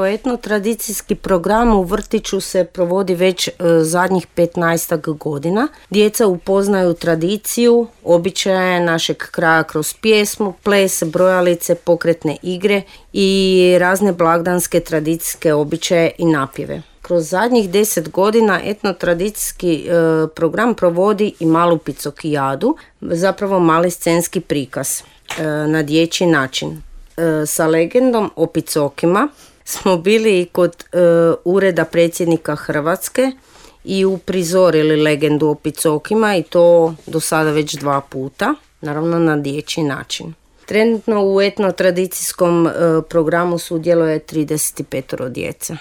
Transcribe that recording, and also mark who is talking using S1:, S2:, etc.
S1: Etnotradicijski program u vrtiću se provodi već zadnjih 15 godina. Djeca upoznaju tradiciju, običaje našeg kraja kroz pjesmu, ples, brojalice, pokretne igre i razne blagdanske tradicijske običaje i napjeve. Kroz zadnjih 10 godina etnotradicijski program provodi i malu picokijadu, zapravo mali scenski prikaz na dječji način. Sa legendom o picokima smo bili i kod ureda predsjednika Hrvatske i uprizorili legendu o picokima i to do sada već 2 puta, naravno na dječji način. Trenutno u etnotradicijskom programu sudjeluje 35 djece.